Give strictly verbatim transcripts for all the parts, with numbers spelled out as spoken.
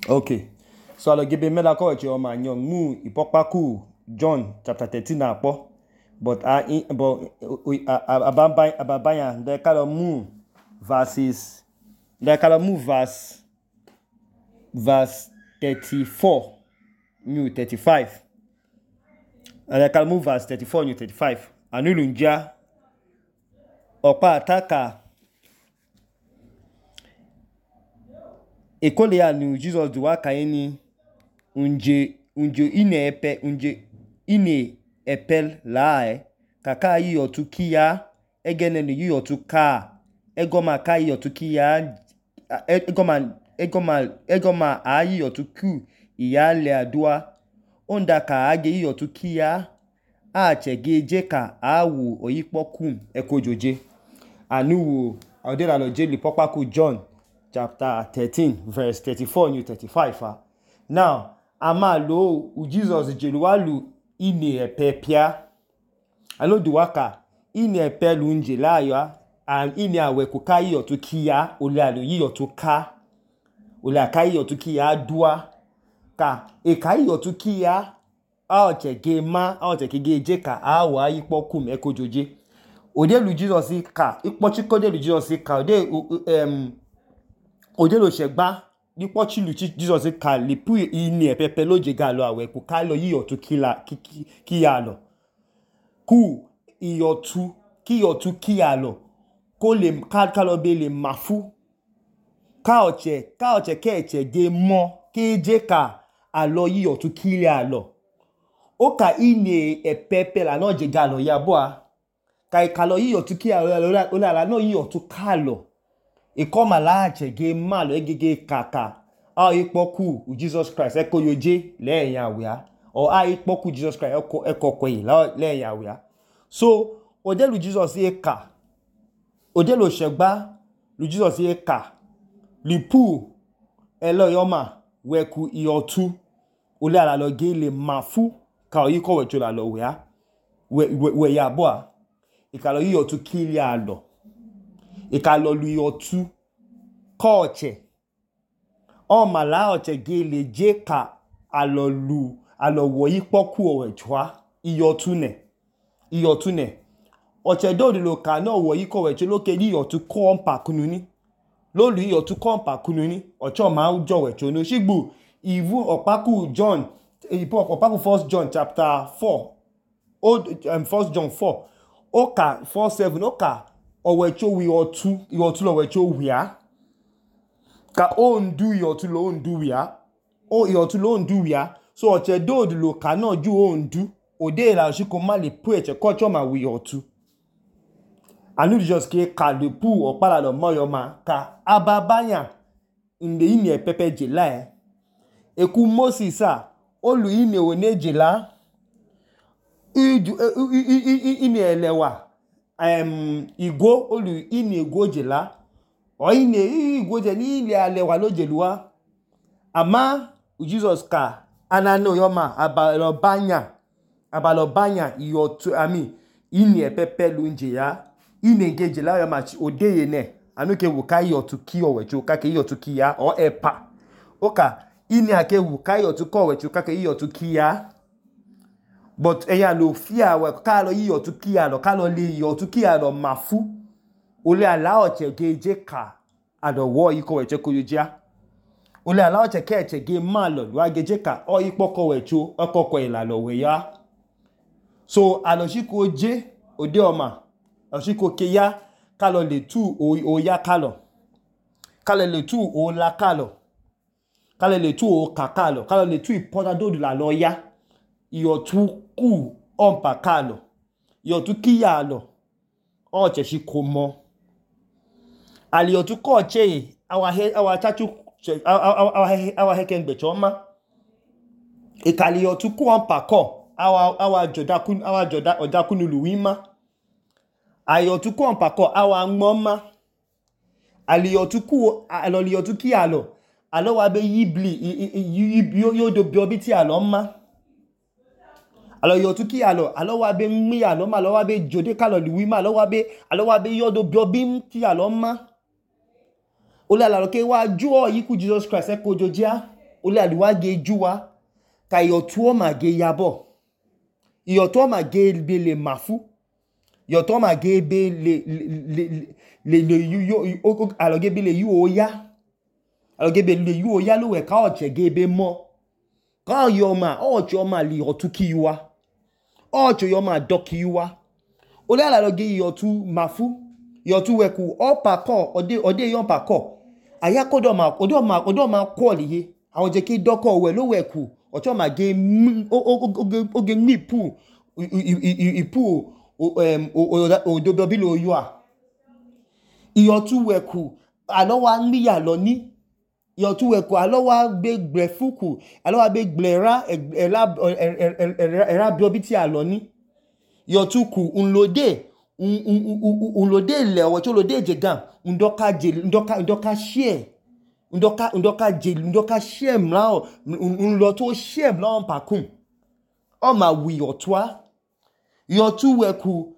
Okay. So alo gebe mela ko che o ma nyong mu ipokpaku John chapter thirteen na po. But I but ababa ababaya de kalo mu verses de kalo mu verse verse thirty-four new thirty-five. And de kalo mu verse thirty-four new thirty-five. Anulunja opa ataka ekole ya nu Jesus duwa kaini unje unje ine epe unje ine epel lae kaka yi otukia egene ni yi otuka egoma kai otukia egoma egoma egoma ayi otuku iyale adua onda ka age yi otukia a chegeje ka awu oyipokum ekojoje anuwo odela lo je lipopaku John chapter thirteen verse thirty-four new thirty-five. Ah. Now ama lo Jesus jeluwalu ine epepia alo duwaka ine epelu nje la ya and ine awe kukai otukia ole alo yi otuka ole akai otukia dua ka e kai otukia a ochege ma a ochege je ka a wa yipokum ekojoje odelu Jesus ka ipochiko delu Jesus ka ode um odelo segba nipochi lu Jesus ka lipu ine epepe loje ga lo awe kukai lo yi otukila ki ya lo ku iyotu ki yotu ki ya lo ko le ka ka lo be le mafu ka oche ka oche ke eche ge mo ke je ka alo yi otu ki ya lo o ka ine epepe la no je ga lo ya bo a ka ka lo yi otu ki ya lo o la no yi otu ka lo e koma la eche ge ma lo egege kaka a ipoku Jesus Christ ekoyoje le yan awia or a ipoku Jesus Christ eko ekoko yi le yan awia. So odelu Jesus e ka odelu segba lu Jesus e ka lipu elo yoma weku iotu ole ala lo ge le mafu ka oyi ko wecho la lo wea we we ya bo a e ka lo yi otu kili alo e ka lo lu iotu koche o mala oche ge le je ka alo lu alo wo ipoku owechwa iotu ne iotu ne oche do lo ka no wo iko wecho loke ni iotu kompa kununi lo lu iotu kompa kununi ocho ma ujo wecho no shigbu ivu opaku John ipo opaku first John chapter four old um, first John four oka four seven oka owecho wi otu iotu lo wecho wi a ka o ndu iotu lo ndu wi a o iotu lo ndu wi a so oche do lo ka no ju o ndu ode la shiko ma le pu eche ko cho ma wi otu anu just ke ka le pu opala lo moyo ma ka ababanya inde ine epepe je la e eku Moses a olu ine oneje la ine elewa um igwo olu ine igwo je la o ine igwo je ni ile alewa lo jeluwa ama Jesus ka anano yoma abalo banya abalo banya iotu ami ine epepe lu nje ya ine ngeje la yoma odeye ne anuke wo kai otu ki owecho ka ke yotu ki ya o epa oka ine ake wo kai otu ko owecho ka ke yotu ki ya but eya lo fia we ka lo yi otu ki ya lo ka lo le yotu ki ya lo mafu ole ala oche geje ka ado wo iko wecho ko yojia ole ala oche ke eche ge ma lo wa geje ka o ipoko wecho okoko ila lo we ya so aloshiko je ode oma aloshiko ke ya ka lo le tu o, o ya ka lo ka le le tu o la ka lo ka le le tu o ka ka lo ka le tu ipoda do la lo ya iyo tu ku ompa ka lo iyo tu ki ya lo o che shi ko mo ali otu ko che awa he awa chachu awa he awa he ken gbe choma e kali otu ku ompa ko awa awa joda kun awa joda oda kunulu wima ayo tu ko ompa ko awa ngoma ali otu ku alo li otu ki alo alo wa be yibli yo yo do biobi ti alo ma alo yo tu ki alo alo wa be mi alo ma alo wa be jode ka lo liwi ma alo wa be alo wa be yo do biobi ti alo ma ole ala lo ke wa ju o yiku Jesus Christ e ko jojia ole aliwa ge juwa ka iyọtu ọma ge yabọ iyọtu ọma ge be le mafu iyọtu ọma ge be le le le le yu alọ ge be le yu oya alọ ge be le yu oya lo we ka ọchẹ ge be mọ ka ọyọ ọma ọchẹ ọma li iyọtu ki yuwa ọchẹ ọma dọ ki yuwa ole alọ ge iyọtu mafu iyọtu weku ọpa kọ ọde ọde yọpa kọ aya kodo ma kodo ma kodo ma kwọliye àwọn jẹ ki dọkọ we lo weku ọchọ ma ge oge ni pu ipu odobo bi lo yo a iyọtu weku alọ wa nmi ya lọ ni iyọtu weku alọ wa be gble fuku alọ wa be gble ra era era bi obi ti alọ ni iyọtu ku unlode unlode le ọwọcho lode jegam ndoka je ndoka ndoka share ndoka ndoka je ndoka share mlao unlo to share mlao pakun o ma wi otwa yotu weku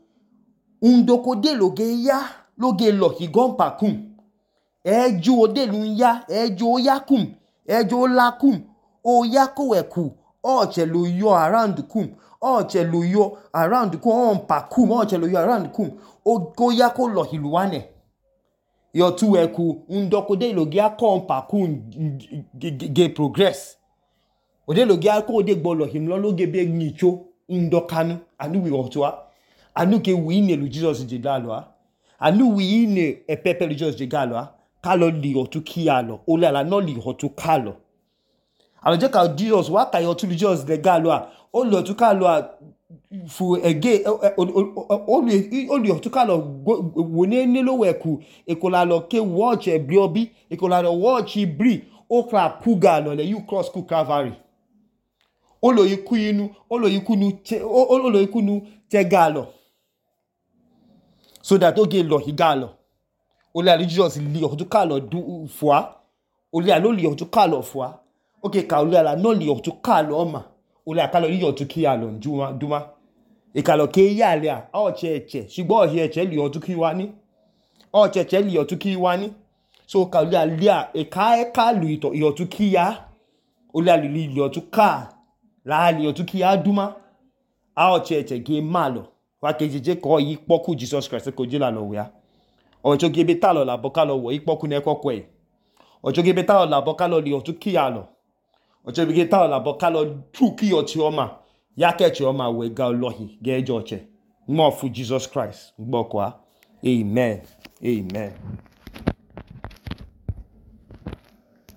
undoko de loge ya loge lo higon pakun eju ode lu ya eju yakum eju lakum o yako weku o che lo yo around kum o che lo yo around kum on pakun o che lo yo around kum o go yako lo hiluwane yotu weku undoko de loge akon pakun ge progress ode loge akon de gbo lo himlo loge be nicho ndokanu anu wi otwa anu ke wi ne lu Jesus je galo anu wi ne epepe lu Jesus je galo ka lo li otu ki alo ole ala no li otu ka lo alo je ka Jesus wa ka otu lu Jesus de galo o lo otu ka lo fu ege o li o li otu ka lo wo ne ne lo weku ekola lo ke watch e bi obi ekola lo watch bri o kra puga lo le you cross ku Calvary olo yiku inu olo yiku nu olo yiku nu te galo so that oge lo higalo ole ali Jesus li otu ka lo du fua ole alo li otu ka lo fua oge ka ole ala no li otu ka lo ma ole akalo li otu ki alo duma duma e ka lo ke ya le a o che che sigbo o he che li otu ki wa ni o che che li otu ki wa ni so ka ole ali a e ka e ka lu ito otu ki ya ole ali li otu ka la li otu ki aduma a o cheche ge malo wa kejeje ko yi poku Jesus Christ ko je la lo ya o cho ge be ta lo la boka lo wo yi poku ne kokko e o cho ge be ta lo la boka lo li otu ki ya lo o cho ge ta lo la boka lo tu ki oti oma ya ke chi oma we ga lohi ge jo che mo fu Jesus Christ gbo kwa amen amen